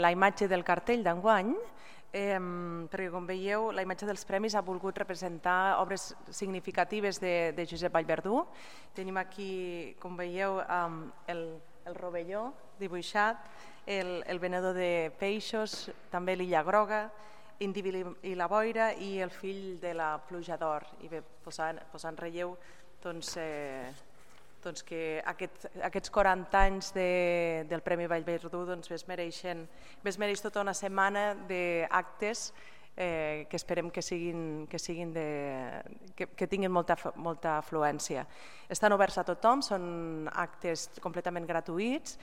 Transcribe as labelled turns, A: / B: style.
A: La imatge del cartell d'enguany, perquè com veieu la imatge dels premis ha volgut representar obres significatives de Josep Vallverdú. Tenim aquí, com veieu, el rovelló dibuixat, el venedor de peixos, també l'Illa Groga, Indíbil i la boira i el fill de la pluja d'or. I bé, posar en relleu que aquests 40 anys del Premi Vallverdú es mereix tota una setmana d'actes que esperem que tinguin molta afluència. Estan oberts a tothom, són actes completament gratuïts